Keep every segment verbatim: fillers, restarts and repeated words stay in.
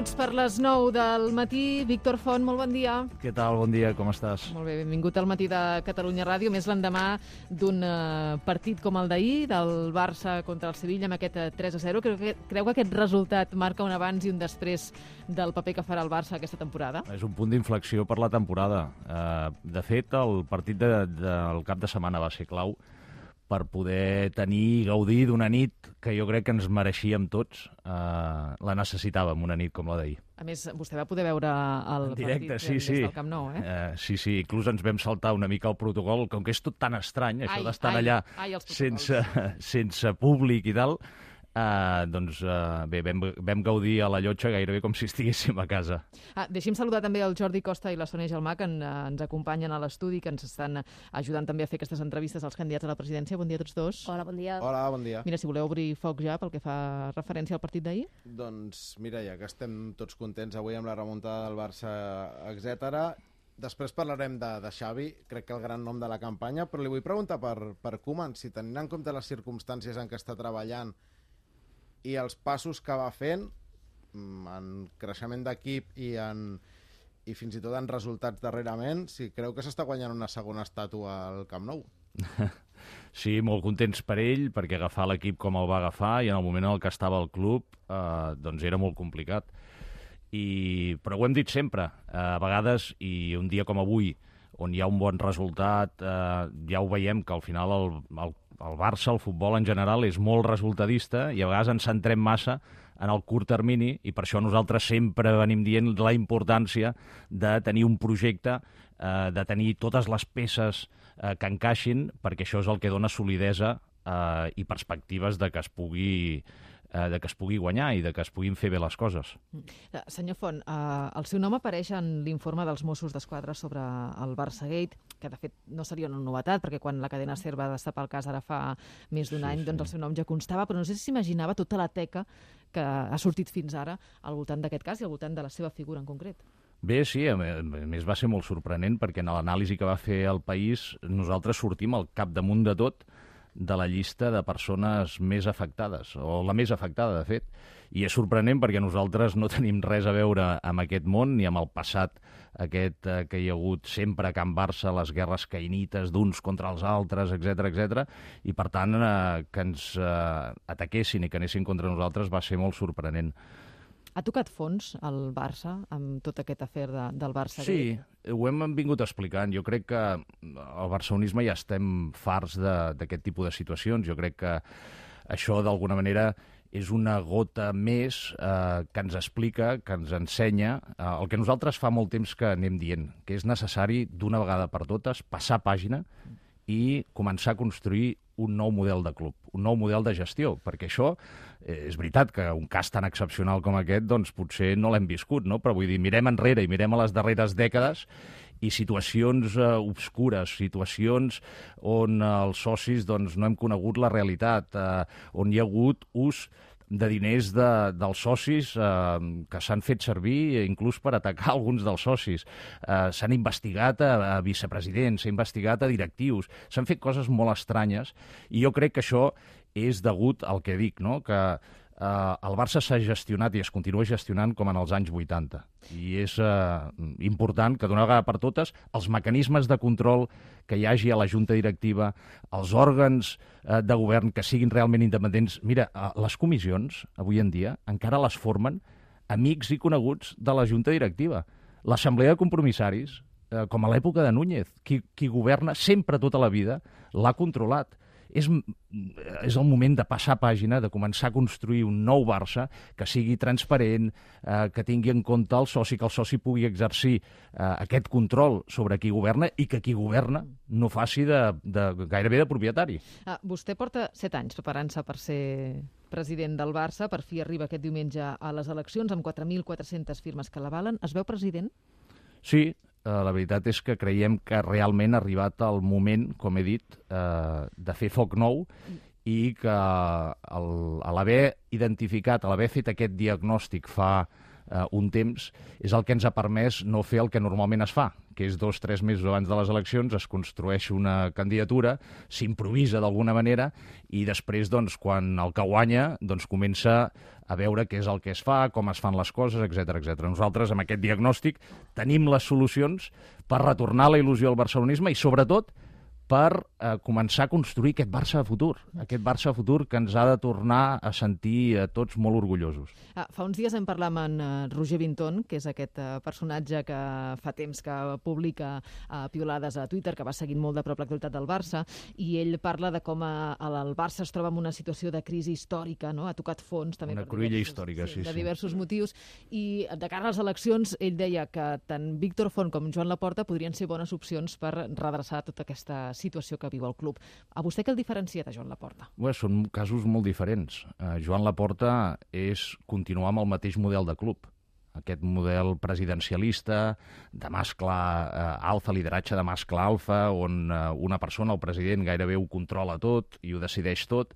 minuts per les nou del matí. Víctor Font, molt bon dia. Què tal? Bon dia, com estàs? Molt bé, benvingut al matí de Catalunya Ràdio, més l'endemà d'un uh, partit com el d'ahir, del Barça contra el Sevilla, amb aquest uh, tres a zero. Creu que, creu que aquest resultat marca un abans i un després del paper que farà el Barça aquesta temporada? És un punt d'inflexió per la temporada. Uh, de fet, el partit de, de, del cap de setmana va ser clau per poder tenir i gaudir d'una nit que jo crec que ens mereixíem tots. Uh, la necessitàvem, una nit com la d'ahir. A més, vostè va poder veure el en directe, partit sí, des sí. del Camp Nou, eh? Uh, sí, sí, inclús ens vam saltar una mica el protocol, com que és tot tan estrany, això d'estar allà ai, sense, sense públic i tal. Uh, doncs uh, bé, vam, vam gaudir a la llotja gairebé com si estiguéssim a casa. Ah, deixi'm saludar també el Jordi Costa i la Sònia Gelmà, que en, ens acompanyen a l'estudi, que ens estan ajudant també a fer aquestes entrevistes als candidats a la presidència. Bon dia a tots dos. Hola, bon dia. Hola, bon dia. Mira, si voleu obrir foc ja pel que fa referència al partit d'ahir. Doncs mira, ja que estem tots contents avui amb la remuntada del Barça, etcètera. Després parlarem de, de Xavi, crec que el gran nom de la campanya, però li vull preguntar per, per Koeman, si tenint en compte les circumstàncies en què està treballant i els passos que va fent en creixement d'equip i, en, i fins i tot en resultats darrerament, si creu que s'està guanyant una segona estàtua al Camp Nou. Sí, molt contents per ell, perquè agafar l'equip com el va agafar i en el moment en el que estava al club eh, doncs era molt complicat. I, però ho hem dit sempre, eh, a vegades, i un dia com avui, on hi ha un bon resultat, eh, ja ho veiem que al final el, el, el Barça, el futbol en general, és molt resultadista i a vegades ens centrem massa en el curt termini i per això nosaltres sempre venim dient la importància de tenir un projecte, eh, de tenir totes les peces eh, que encaixin, perquè això és el que dona solidesa eh, i perspectives de que es pugui eh, de que es pugui guanyar i de que es puguin fer bé les coses. Senyor Font, eh, el seu nom apareix en l'informe dels Mossos d'Esquadra sobre el Barçagate, que de fet no seria una novetat, perquè quan la cadena SER va destapar el cas ara fa més d'un Sí, any, sí. doncs el seu nom ja constava, però no sé si s'imaginava tota la teca que ha sortit fins ara al voltant d'aquest cas i al voltant de la seva figura en concret. Bé, sí, a més va ser molt sorprenent perquè en l'anàlisi que va fer el País nosaltres sortim al capdamunt de tot de la llista de persones més afectades, o la més afectada, de fet. I és sorprenent perquè nosaltres no tenim res a veure amb aquest món ni amb el passat aquest eh, que hi ha hagut sempre a Can Barça, les guerres caïnites d'uns contra els altres, etcètera, etcètera, i per tant eh, que ens eh, ataquessin i que anessin contra nosaltres va ser molt sorprenent. Ha tocat fons el Barça amb tot aquest afer de, del Barça? Sí, ho hem vingut explicant. Jo crec que al barcelonisme ja estem farts d'aquest tipus de situacions. Jo crec que això, d'alguna manera, és una gota més eh, que ens explica, que ens ensenya eh, el que nosaltres fa molt temps que anem dient, que és necessari, d'una vegada per totes, passar pàgina i començar a construir un nou model de club, un nou model de gestió, perquè això eh, és veritat que un cas tan excepcional com aquest doncs potser no l'hem viscut, no? Però vull dir, mirem enrere i mirem a les darreres dècades i situacions eh, obscures, situacions on eh, els socis doncs, no hem conegut la realitat, eh, on hi ha hagut ús de diners de, dels socis eh, que s'han fet servir inclús per atacar alguns dels socis. Eh, s'han investigat a, a vicepresidents, s'ha investigat a directius, s'han fet coses molt estranyes i jo crec que això és degut al que dic, no? Que eh, el Barça s'ha gestionat i es continua gestionant com en els anys vuitanta. I és eh, important que d'una vegada per totes els mecanismes de control que hi hagi a la junta directiva, els òrgans eh, de govern que siguin realment independents. Mira, eh, les comissions, avui en dia, encara les formen amics i coneguts de la junta directiva. L'assemblea de compromissaris, eh, com a l'època de Núñez, qui, qui governa sempre tota la vida, l'ha controlat. És, és el moment de passar pàgina, de començar a construir un nou Barça que sigui transparent, eh, que tingui en compte el soci, que el soci pugui exercir eh, aquest control sobre qui governa i que qui governa no faci de, de, gairebé de propietari. Ah, vostè porta set anys preparant-se per ser president del Barça, per fi arriba aquest diumenge a les eleccions amb quatre mil quatre-centes firmes que l'avalen. Es veu president? Sí, la veritat és que creiem que realment ha arribat el moment, com he dit, eh, de fer foc nou i que el, a l'haver identificat, a l'haver fet aquest diagnòstic fa eh, un temps, és el que ens ha permès no fer el que normalment es fa, que és dos, tres mesos abans de les eleccions es construeix una candidatura, s'improvisa d'alguna manera i després, doncs, quan el que guanya, doncs, comença a veure què és el que es fa, com es fan les coses, etcètera, etcètera. Nosaltres, amb aquest diagnòstic, tenim les solucions per retornar la il·lusió al barcelonisme i, sobretot, per eh, començar a construir aquest Barça de futur, aquest Barça de futur que ens ha de tornar a sentir a tots molt orgullosos. Ah, fa uns dies hem parlat amb en uh, Roger Vinton, que és aquest uh, personatge que fa temps que publica uh, piolades a Twitter, que va seguint molt de prop l'actualitat del Barça, i ell parla de com uh, el Barça es troba en una situació de crisi històrica, no? Ha tocat fons també una per cruïlla diversos, històrica, sí, sí, de sí. diversos motius, i de cara a les eleccions ell deia que tant Víctor Font com Joan Laporta podrien ser bones opcions per redreçar tota aquesta situació que viu el club. A vostè què el diferencia de Joan Laporta? Bé, són casos molt diferents. Uh, Joan Laporta és continuar amb el mateix model de club. Aquest model presidencialista, de mascle uh, alfa, lideratge de mascle alfa, on uh, una persona, el president, gairebé ho controla tot i ho decideix tot,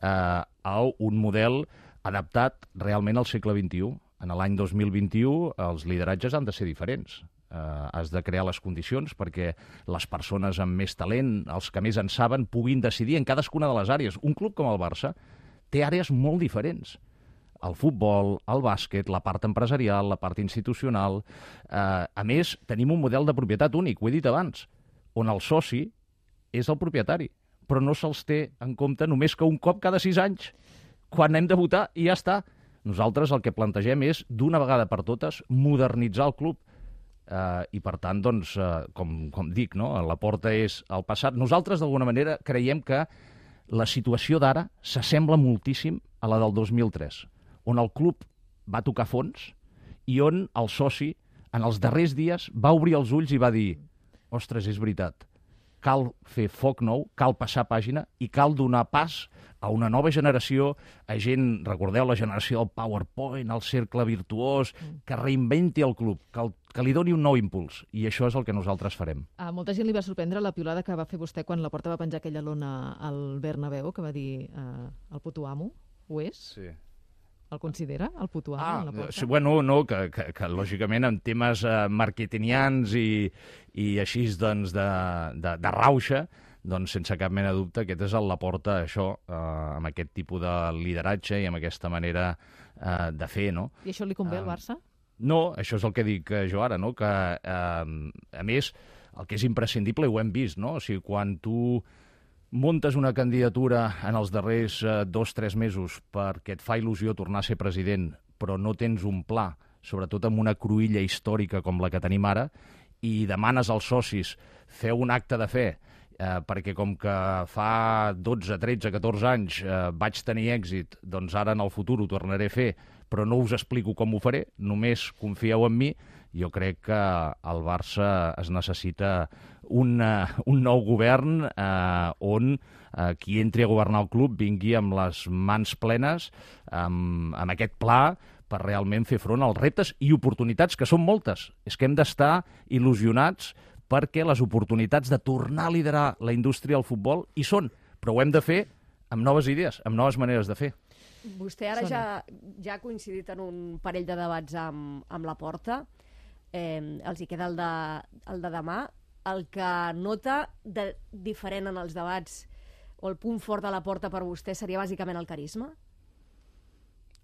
uh, a un model adaptat realment al segle vint-i-u. En l'any dos mil vint-i-u els lideratges han de ser diferents. Uh, has de crear les condicions perquè les persones amb més talent, els que més en saben, puguin decidir en cadascuna de les àrees. Un club com el Barça té àrees molt diferents. El futbol, el bàsquet, la part empresarial, la part institucional. Uh, a més, tenim un model de propietat únic, ho he dit abans, on el soci és el propietari, però no se'ls té en compte només que un cop cada sis anys, quan hem de votar i ja està. Nosaltres el que plantegem és, d'una vegada per totes, modernitzar el club. Uh, i per tant, doncs, uh, com, com dic, no? La porta és el passat. Nosaltres, d'alguna manera, creiem que la situació d'ara s'assembla moltíssim a la del dos mil tres, on el club va tocar fons i on el soci, en els darrers dies, va obrir els ulls i va dir ostres, és veritat, cal fer foc nou, cal passar pàgina i cal donar pas a una nova generació, a gent, recordeu la generació del PowerPoint, el cercle virtuós, que reinventi el club, que, el, que li doni un nou impuls. I això és el que nosaltres farem. A molta gent li va sorprendre la piulada que va fer vostè quan Laporta va penjar aquella lona al Bernabéu, que va dir eh, el puto amo. Ho és? Sí. El considera, el puto amo, ah, en Laporta? Sí, bueno, no, que, que, que lògicament en temes eh, marketingians i, i així doncs de, de, de rauxa, doncs sense cap mena de dubte aquest és el Laporta, això, eh, amb aquest tipus de lideratge i amb aquesta manera eh, de fer, no? I això li convé al Uh, Barça? No, això és el que dic eh, jo ara, no? Que, eh, a més, el que és imprescindible, ho hem vist, no? O sigui, quan tu muntes una candidatura en els darrers eh, dos o tres mesos perquè et fa il·lusió tornar a ser president, però no tens un pla, sobretot amb una cruïlla històrica com la que tenim ara, i demanes als socis fer un acte de fe, eh, perquè com que fa dotze, tretze, catorze anys eh, vaig tenir èxit, doncs ara en el futur ho tornaré a fer, però no us explico com ho faré, només confieu en mi. Jo crec que al Barça es necessita un, uh, un nou govern eh, on uh, qui entri a governar el club vingui amb les mans plenes, amb, amb aquest pla, per realment fer front als reptes i oportunitats, que són moltes. És que hem d'estar il·lusionats perquè les oportunitats de tornar a liderar la indústria del futbol hi són, però ho hem de fer amb noves idees, amb noves maneres de fer. Vostè ara ja, ja ha coincidit en un parell de debats amb, amb Laporta. Eh, els hi queda el de, el de demà. El que nota de diferent en els debats o el punt fort de Laporta per vostè seria bàsicament el carisma?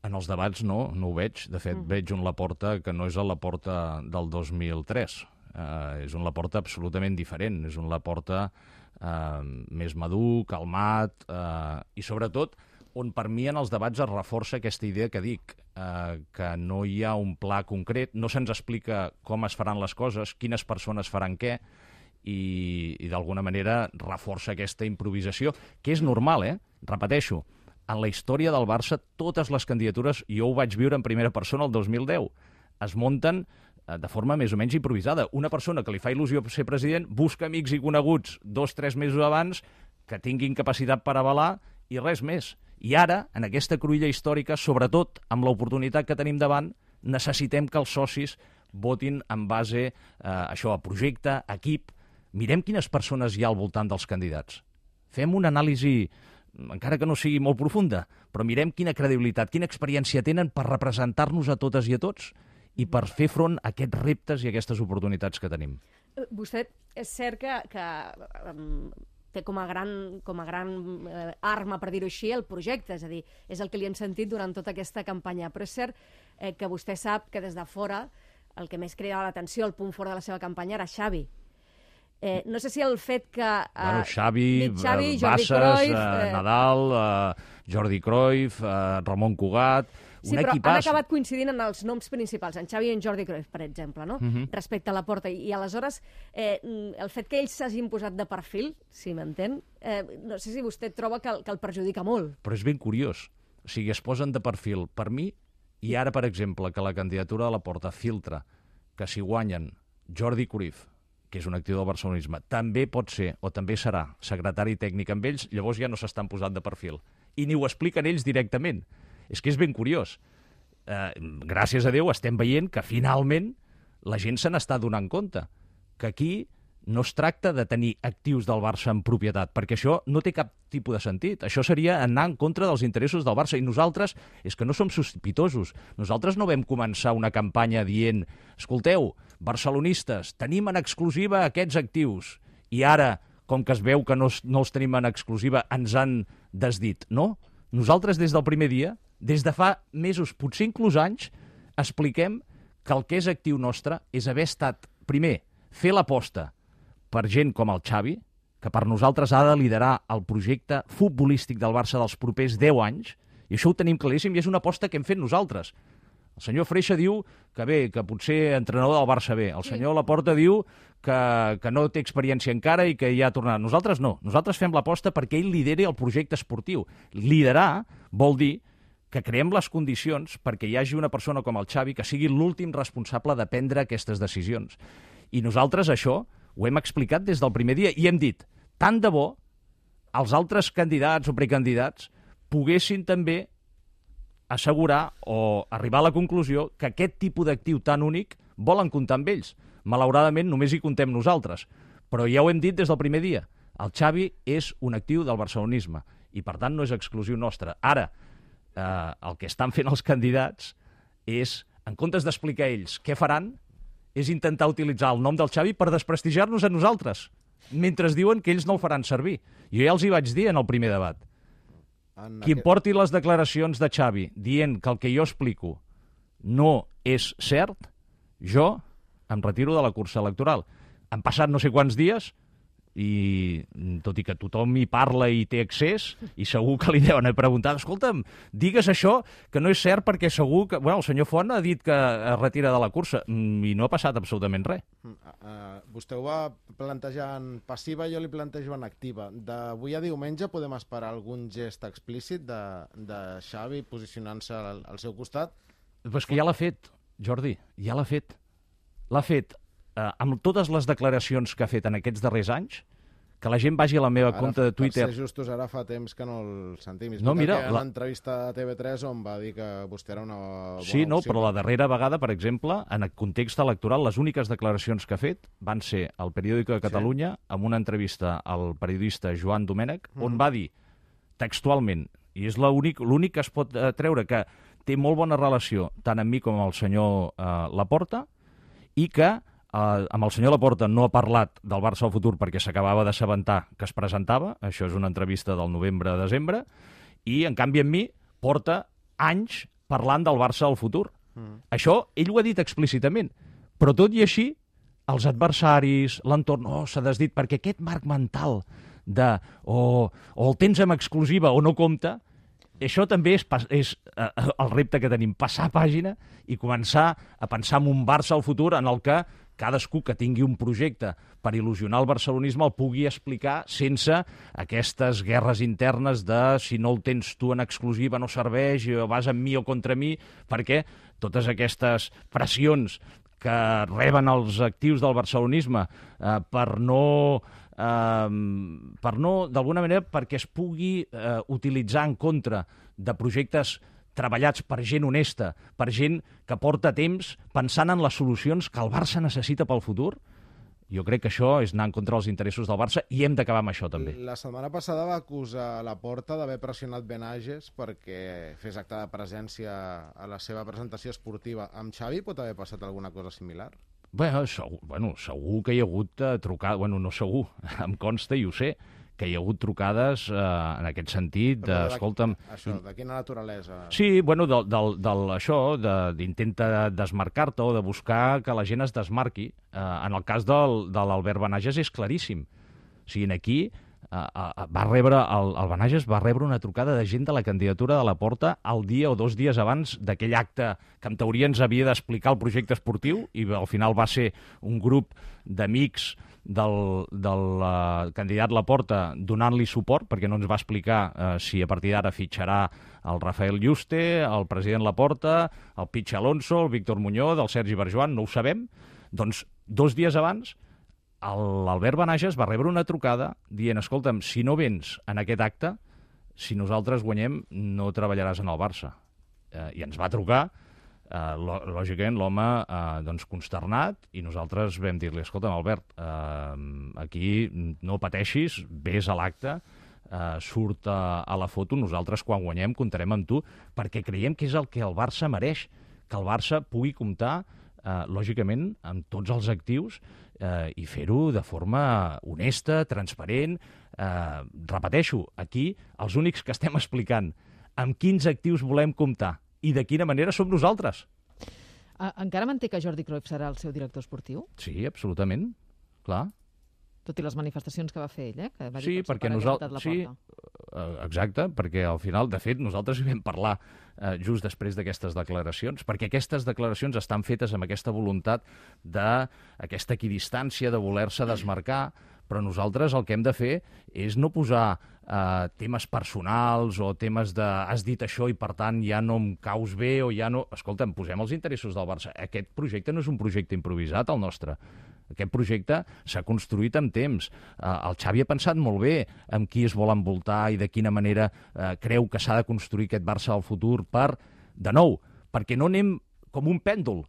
En els debats no, no ho veig. De fet, mm. veig un Laporta que no és el Laporta del dos mil tres. Uh, és un Laporta absolutament diferent. És un Laporta uh, més madur, calmat, uh, i sobretot on per mi en els debats es reforça aquesta idea que dic, eh, que no hi ha un pla concret, no se'ns explica com es faran les coses, quines persones faran què, i, i d'alguna manera reforça aquesta improvisació, que és normal, eh? Repeteixo, en la història del Barça totes les candidatures, jo ho vaig viure en primera persona el dos mil deu, es munten eh, de forma més o menys improvisada. Una persona que li fa il·lusió ser president busca amics i coneguts dos o tres mesos abans que tinguin capacitat per avalar i res més. I ara, en aquesta cruïlla històrica, sobretot amb l'oportunitat que tenim davant, necessitem que els socis votin en base eh, a això, a projecte, a equip. Mirem quines persones hi ha al voltant dels candidats. Fem una anàlisi, encara que no sigui molt profunda, però mirem quina credibilitat, quina experiència tenen per representar-nos a totes i a tots. i per fer front a aquests reptes i aquestes oportunitats que tenim. Vostè és cert que, que um, té com a gran, com a gran eh, arma, per dir-ho així, el projecte, és a dir, és el que li hem sentit durant tota aquesta campanya, però és cert eh, que vostè sap que des de fora el que més cridava l'atenció, el punt fort de la seva campanya era Xavi. Eh, no sé si el fet que... Eh, bueno, Xavi, Xavi eh, Bassas, Cruyff, eh, eh... Nadal, eh, Jordi Cruyff, eh, Ramon Cugat... Sí, però equipàs... han acabat coincidint en els noms principals, en Xavi i en Jordi Cruyff, per exemple, no? Uh-huh. Respecte a la Porta. I, i aleshores, eh, el fet que ells s'hagin posat de perfil, si m'entén, eh, no sé si vostè troba que, que el perjudica molt. Però és ben curiós. O sigui, es posen de perfil per mi, i ara, per exemple, que la candidatura de la Porta filtra que si guanyen Jordi Cruyff, que és un actiu del barcelonisme, també pot ser, o també serà, secretari tècnic amb ells, llavors ja no s'estan posant de perfil. I ni ho expliquen ells directament. És que és ben curiós. Eh, gràcies a Déu estem veient que finalment la gent se n'està donant compte. Que aquí no es tracta de tenir actius del Barça en propietat, perquè això no té cap tipus de sentit. Això seria anar en contra dels interessos del Barça. I nosaltres, és que no som sospitosos. Nosaltres no vam començar una campanya dient escolteu, barcelonistes, tenim en exclusiva aquests actius. I ara, com que es veu que no, no els tenim en exclusiva, ens han desdit. No. Nosaltres, des del primer dia, des de fa mesos, potser inclús anys, expliquem que el que és actiu nostre és haver estat, primer, fer l'aposta per gent com el Xavi, que per nosaltres ha de liderar el projecte futbolístic del Barça dels propers deu anys, i això ho tenim claríssim i és una aposta que hem fet nosaltres. El senyor Freixa diu que bé, que potser entrenador del Barça bé. El senyor Laporta diu que, que no té experiència encara i que ja ha tornat. Nosaltres no. Nosaltres fem l'aposta perquè ell lideri el projecte esportiu. Liderar vol dir que creem les condicions perquè hi hagi una persona com el Xavi que sigui l'últim responsable de prendre aquestes decisions. I nosaltres això ho hem explicat des del primer dia i hem dit, tant de bo els altres candidats o precandidats poguessin també assegurar o arribar a la conclusió que aquest tipus d'actiu tan únic volen comptar amb ells. Malauradament només hi comptem nosaltres, però ja ho hem dit des del primer dia. El Xavi és un actiu del barcelonisme i per tant no és exclusiu nostre. Ara, eh, el que estan fent els candidats és, en comptes d'explicar ells què faran, és intentar utilitzar el nom del Xavi per desprestigiar-nos a nosaltres, mentre diuen que ells no el faran servir. Jo ja els hi vaig dir en el primer debat. En Qui aquest... porti les declaracions de Xavi dient que el que jo explico no és cert, jo em retiro de la cursa electoral. Han passat no sé quants dies i tot i que tothom hi parla i té accés, i segur que li deuen haver preguntat, escolta'm, digues això, que no és cert perquè segur que... Bueno, el senyor Font ha dit que es retira de la cursa i no ha passat absolutament res. Uh, uh, vostè ho va plantejar en passiva, jo li plantejo en activa. D'avui a diumenge podem esperar algun gest explícit de, de Xavi posicionant-se al, al seu costat? Però és que ja l'ha fet, Jordi, ja l'ha fet. L'ha fet eh, amb totes les declaracions que ha fet en aquests darrers anys, que la gent vagi a la meva ara, compte de Twitter... Per ser justos, ara fa temps que no el sentim. És no, mira, que hi ha la... una entrevista a T V tres on va dir que vostè era una bona Sí, no, opció. Però la darrera vegada, per exemple, en el context electoral, les úniques declaracions que ha fet van ser al Periòdico de Catalunya, sí, amb una entrevista al periodista Joan Domènech, on mm. va dir textualment, i és l'únic l'únic que es pot eh, treure, que té molt bona relació tant amb mi com amb el senyor eh, Laporta, i que Uh, amb el senyor Laporta no ha parlat del Barça al futur perquè s'acabava d'assabentar que es presentava, això és una entrevista del novembre-desembre, i en canvi amb mi porta anys parlant del Barça al futur. Mm. Això ell ho ha dit explícitament, però tot i així els adversaris, l'entorn, oh, s'ha desdit, perquè aquest marc mental de o, o el tens en exclusiva o no compta, això també és, és uh, el repte que tenim, passar pàgina i començar a pensar en un Barça al futur en el que cadascú que tingui un projecte per il·lusionar el barcelonisme el pugui explicar sense aquestes guerres internes de si no el tens tu en exclusiva no serveix, o vas amb mi o contra mi, perquè totes aquestes pressions que reben els actius del barcelonisme eh, per no... Uh, per no, d'alguna manera, perquè es pugui uh, utilitzar en contra de projectes treballats per gent honesta, per gent que porta temps pensant en les solucions que el Barça necessita pel futur, Jo crec que això és anar en contra dels interessos del Barça i hem d'acabar amb això també. La setmana passada va acusar la Porta d'haver pressionat Benages perquè fes acte de presència a la seva presentació esportiva. Amb Xavi pot haver passat alguna cosa similar? Bueno, segur, bueno, segur que hi ha hagut uh, trucades, bueno, no segur, em consta i ho sé, que hi ha hagut trucades eh, en aquest sentit, de, escolta'm... Això, de quina naturalesa? Sí, bueno, del, del, del, això, d'intenta desmarcar-te o de buscar que la gent es desmarqui. Eh, en el cas del, de l'Albert Benages és claríssim. O sigui, aquí eh, eh, va rebre, el, el Benages va rebre una trucada de gent de la candidatura de la Porta el dia o dos dies abans d'aquell acte que en teoria ens havia d'explicar el projecte esportiu i al final va ser un grup d'amics del, del uh, candidat Laporta donant-li suport, perquè no ens va explicar uh, si a partir d'ara fitxarà el Rafael Yuste, el president Laporta, el Pitx Alonso, el Víctor Muñoz, el Sergi Barjuan, no ho sabem. Doncs dos dies abans l'Albert Benages va rebre una trucada dient, escolta'm, si no vens en aquest acte, si nosaltres guanyem no treballaràs en el Barça. Uh, I ens va trucar. Uh, lògicament l'home uh, doncs consternat i nosaltres vam dir-li, escolta'm Albert, uh, aquí no pateixis, vés a l'acte, uh, surt a, a la foto, nosaltres quan guanyem comptarem amb tu, perquè creiem que és el que el Barça mereix, que el Barça pugui comptar uh, lògicament amb tots els actius uh, i fer-ho de forma honesta, transparent. Uh, repeteixo, aquí els únics que estem explicant amb quins actius volem comptar i de quina manera som nosaltres. Uh, encara manté que Jordi Cruyff serà el seu director esportiu? Sí, absolutament, clar. Tot i les manifestacions que va fer ell, eh? Que va dir sí, que perquè nosaltres... Sí, exacte, perquè al final, de fet, nosaltres hi vam parlar eh, just després d'aquestes declaracions, perquè aquestes declaracions estan fetes amb aquesta voluntat d'aquesta equidistància, de voler-se desmarcar, però nosaltres el que hem de fer és no posar eh, temes personals o temes de has dit això i per tant ja no em caus bé o ja no... Escolta'm, posem els interessos del Barça. Aquest projecte no és un projecte improvisat, el nostre. Aquest projecte s'ha construït amb temps. Eh, el Xavi ha pensat molt bé amb qui es vol envoltar i de quina manera eh, creu que s'ha de construir aquest Barça del futur per, de nou, perquè no anem com un pèndol.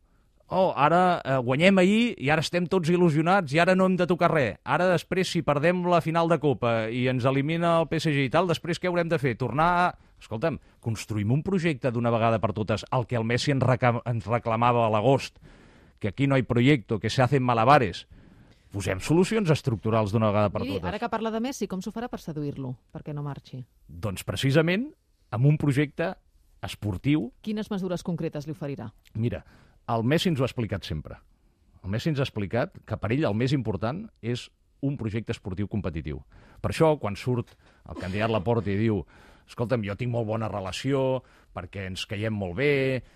Oh, ara eh, guanyem ahir i ara estem tots il·lusionats i ara no hem de tocar res. Ara després, si perdem la final de Copa i ens elimina el P S G i tal, després què haurem de fer? Tornar a... Escolta'm, construïm un projecte d'una vegada per totes, el que el Messi ens, reclam ens reclamava a l'agost, que aquí no hi ha projecte, que se hacen malabares. Posem solucions estructurals d'una vegada per I totes. Ara que parla de Messi, com s'ho farà per seduir-lo, perquè no marxi? Doncs precisament amb un projecte esportiu. Quines mesures concretes li oferirà? Mira, el Messi ens ho ha explicat sempre. El Messi ens ha explicat que per ell el més important és un projecte esportiu competitiu. Per això, quan surt el candidat Laporta i diu escolta'm, jo tinc molt bona relació perquè ens caiem molt bé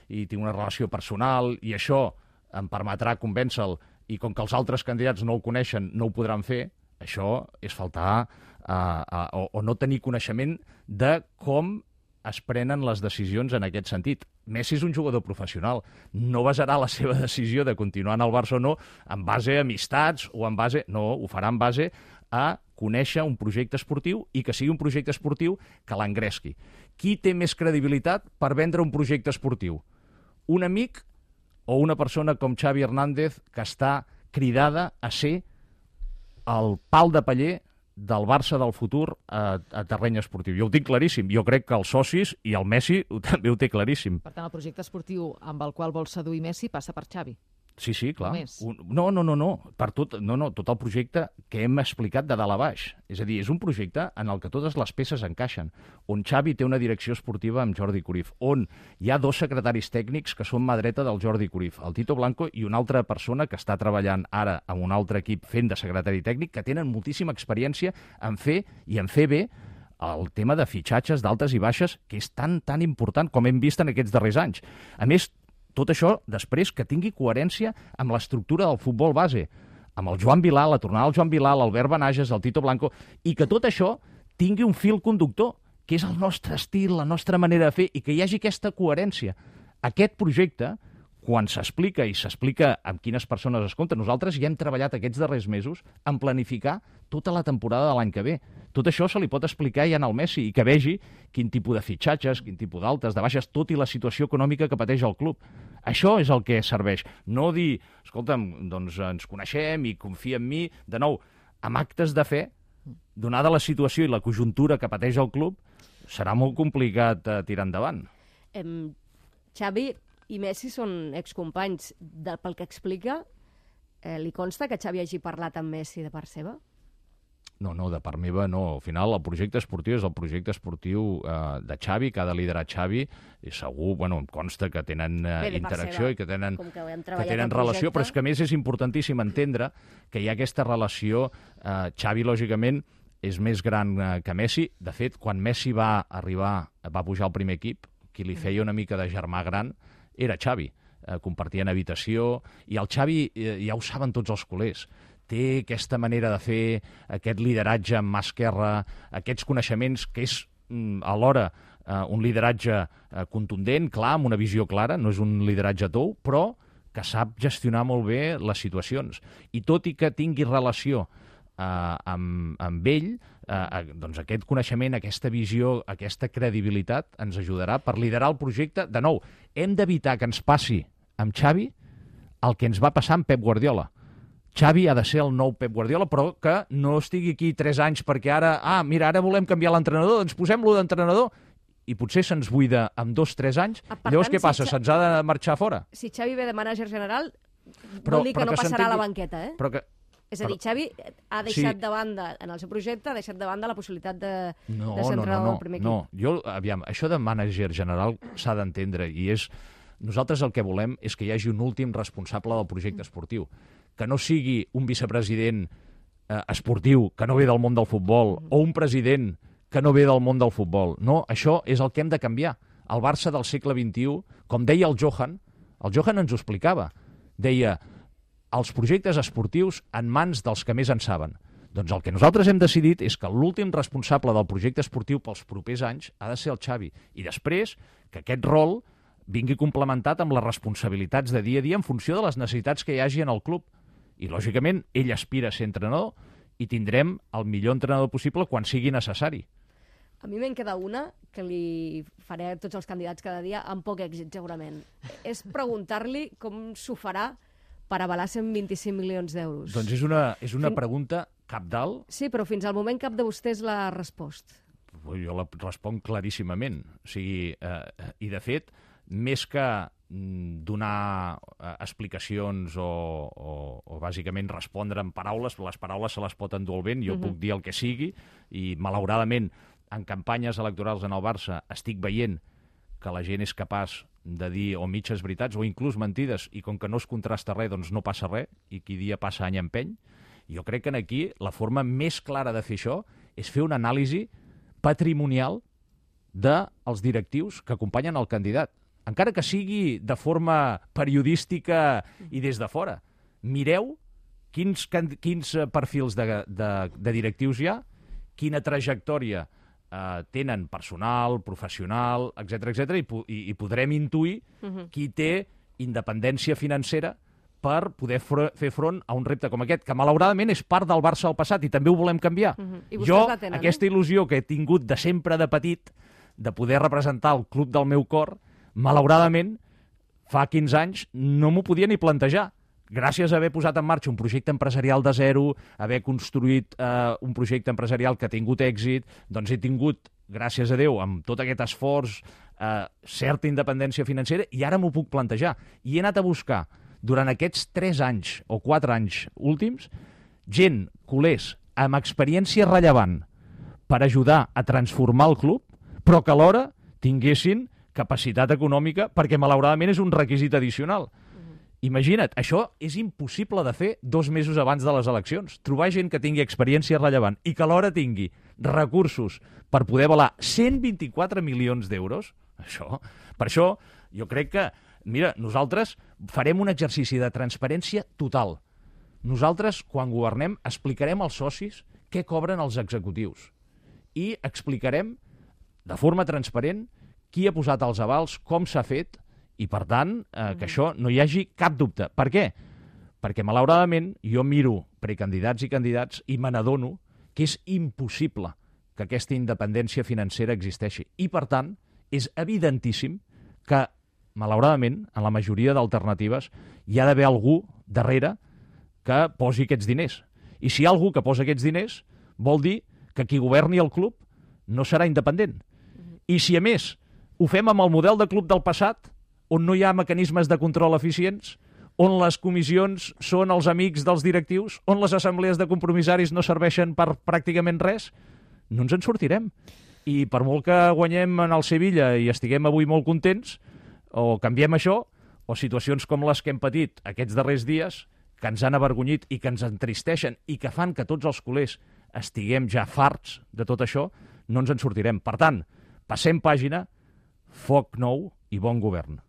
i tinc una relació personal i això em permetrà convèncer-lo i com que els altres candidats no el coneixen, no ho podran fer, això és faltar uh, uh, o, o no tenir coneixement de com es prenen les decisions en aquest sentit. Messi és un jugador professional. No basarà la seva decisió de continuar en el Barça o no en base a amistats o en base... No, ho farà en base a conèixer un projecte esportiu i que sigui un projecte esportiu que l'engresqui. Qui té més credibilitat per vendre un projecte esportiu? Un amic o una persona com Xavi Hernández que està cridada a ser el pal de paller del Barça del futur a, a terreny esportiu. Jo ho tinc claríssim. Jo crec que els socis i el Messi ho, també ho té claríssim. Per tant, el projecte esportiu amb el qual vol seduir Messi passa per Xavi. Sí, sí, clar. Un, no, no, no, no. Per tot, no, no, tot el projecte que hem explicat de dalt a baix. És a dir, és un projecte en el que totes les peces encaixen, on Xavi té una direcció esportiva amb Jordi Cruyff, on hi ha dos secretaris tècnics que són mà dreta del Jordi Cruyff, el Tito Blanco i una altra persona que està treballant ara amb un altre equip fent de secretari tècnic, que tenen moltíssima experiència en fer i en fer bé el tema de fitxatges d'altes i baixes, que és tan, tan important com hem vist en aquests darrers anys. A més, tot això després que tingui coherència amb l'estructura del futbol base, amb el Joan Vilà, la tornada del Joan Vilà, l'Albert Benages, el Tito Blanco, i que tot això tingui un fil conductor, que és el nostre estil, la nostra manera de fer, i que hi hagi aquesta coherència. Aquest projecte quan s'explica i s'explica amb quines persones es compta, nosaltres ja hem treballat aquests darrers mesos en planificar tota la temporada de l'any que ve. Tot això se li pot explicar ja al Messi i que vegi quin tipus de fitxatges, quin tipus d'altes, de baixes, tot i la situació econòmica que pateix el club. Això és el que serveix. No dir, escolta'm, doncs ens coneixem i confia en mi. De nou, amb actes de fe, donada la situació i la conjuntura que pateix el club, serà molt complicat eh, tirar endavant. Em, Xavi i Messi són excompanys. De, pel que explica, eh, li consta que Xavi hagi parlat amb Messi de part seva? No, no, de part meva no. Al final el projecte esportiu és el projecte esportiu eh, de Xavi, que ha de liderar Xavi, i segur, bueno, em consta que tenen eh, Bé, interacció i que tenen, que, que tenen relació, però és que a més és importantíssim entendre que hi ha aquesta relació. Eh, Xavi, lògicament, és més gran eh, que Messi. De fet, quan Messi va arribar, va pujar al primer equip, qui li feia una mica de germà gran era Xavi. Eh, compartien habitació, i el Xavi, eh, ja ho saben tots els culers, té aquesta manera de fer, aquest lideratge amb mà esquerra, aquests coneixements que és mm, alhora eh, un lideratge eh, contundent, clar, amb una visió clara, no és un lideratge tou, però que sap gestionar molt bé les situacions. I tot i que tingui relació eh, amb, amb ell, eh, doncs aquest coneixement, aquesta visió, aquesta credibilitat ens ajudarà per liderar el projecte. De nou, hem d'evitar que ens passi amb Xavi el que ens va passar amb Pep Guardiola. Xavi ha de ser el nou Pep Guardiola, però que no estigui aquí tres anys perquè ara, ah, mira, ara volem canviar l'entrenador, doncs posem-lo d'entrenador, i potser se'ns buida amb dos, tres anys. Ah, llavors tant, què passa? Si se'ns ha de marxar fora? Si Xavi ve de mànager general, però, vol dir que no que passarà a la banqueta, eh? Però que... És a dir, Xavi ha deixat sí. de banda, en el seu projecte, ha deixat de banda la possibilitat de, no, de ser entrenador no, no, del primer equip. No, jo, aviam, això de mànager general s'ha d'entendre, i és... Nosaltres el que volem és que hi hagi un últim responsable del projecte esportiu, que no sigui un vicepresident eh, esportiu que no ve del món del futbol, o un president que no ve del món del futbol. No, això és el que hem de canviar. El Barça del segle vint-i-u, com deia el Johan, el Johan ens ho explicava, deia, els projectes esportius en mans dels que més en saben. Doncs el que nosaltres hem decidit és que l'últim responsable del projecte esportiu pels propers anys ha de ser el Xavi. I després que aquest rol vingui complementat amb les responsabilitats de dia a dia en funció de les necessitats que hi hagi en el club. I, lògicament, ell aspira a ser entrenador i tindrem el millor entrenador possible quan sigui necessari. A mi me'n queda una que li faré a tots els candidats cada dia amb poc èxit, segurament. És preguntar-li com s'ho farà per avalar cent vint-i-cinc milions d'euros. Doncs és una, és una fin... pregunta cabdal. Sí, però fins al moment cap de vostès l'ha respost. Jo la responc claríssimament. O sigui, eh, i de fet, més que donar eh, explicacions o, o, o bàsicament respondre amb paraules, les paraules se les pot endur el vent, jo uh-huh. puc dir el que sigui, i malauradament en campanyes electorals en el Barça estic veient que la gent és capaç de dir o mitges veritats o inclús mentides, i com que no es contrasta res, doncs no passa res, i qui dia passa any empeny. Jo crec que aquí la forma més clara de fer això és fer una anàlisi patrimonial dels directius que acompanyen el candidat, encara que sigui de forma periodística i des de fora. Mireu quins, quins perfils de, de, de directius hi ha, quina trajectòria eh, tenen personal, professional, etcètera, etcètera, i, i, i podrem intuir uh-huh. qui té independència financera per poder fr fer front a un repte com aquest, que malauradament és part del Barça del passat i també ho volem canviar. Uh-huh. Jo, tenen, aquesta il·lusió que he tingut de sempre de petit, de poder representar el club del meu cor, malauradament, fa quinze anys no m'ho podia ni plantejar. Gràcies a haver posat en marxa un projecte empresarial de zero, haver construït eh, un projecte empresarial que ha tingut èxit, doncs he tingut, gràcies a Déu, amb tot aquest esforç, eh, certa independència financera, i ara m'ho puc plantejar. I he anat a buscar, durant aquests tres anys o quatre anys últims, gent, culers, amb experiència rellevant per ajudar a transformar el club, però que alhora tinguessin capacitat econòmica, perquè malauradament és un requisit addicional. Uh-huh. Imagina't, això és impossible de fer dos mesos abans de les eleccions. Trobar gent que tingui experiència rellevant i que alhora tingui recursos per poder avalar cent vint-i-quatre milions d'euros, això, per això jo crec que, mira, nosaltres farem un exercici de transparència total. Nosaltres, quan governem, explicarem als socis què cobren els executius i explicarem de forma transparent qui ha posat els avals, com s'ha fet, I, per tant, eh, que això no hi hagi cap dubte. Per què? Perquè, malauradament, jo miro precandidats i candidats i me n'adono que és impossible que aquesta independència financera existeixi. I, per tant, és evidentíssim que, malauradament, en la majoria d'alternatives hi ha d'haver algú darrere que posi aquests diners. I si hi ha algú que posa aquests diners, vol dir que qui governi el club no serà independent. I si, a més, ho fem amb el model de club del passat, on no hi ha mecanismes de control eficients, on les comissions són els amics dels directius, on les assemblees de compromissaris no serveixen per pràcticament res, no ens en sortirem. I per molt que guanyem en el Sevilla i estiguem avui molt contents, o canviem això, o situacions com les que hem patit aquests darrers dies, que ens han avergonyit i que ens entristeixen i que fan que tots els culers estiguem ja farts de tot això, no ens en sortirem. Per tant, passem pàgina, foc nou i bon govern.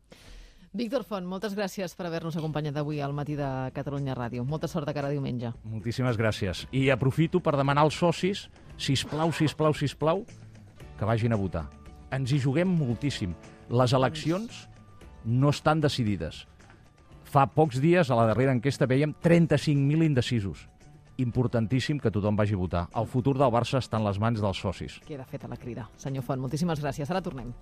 Víctor Font, moltes gràcies per haver-nos acompanyat avui al matí de Catalunya Ràdio. Molta sort de cara a diumenge. Moltíssimes gràcies. I aprofito per demanar als socis, sisplau, sisplau, sisplau, que vagin a votar. Ens hi juguem moltíssim. Les eleccions no estan decidides. Fa pocs dies, a la darrera enquesta, vèiem trenta-cinc mil indecisos. Importantíssim que tothom vagi a votar. El futur del Barça està en les mans dels socis. Queda feta la crida. Senyor Font, moltíssimes gràcies. Ara tornem.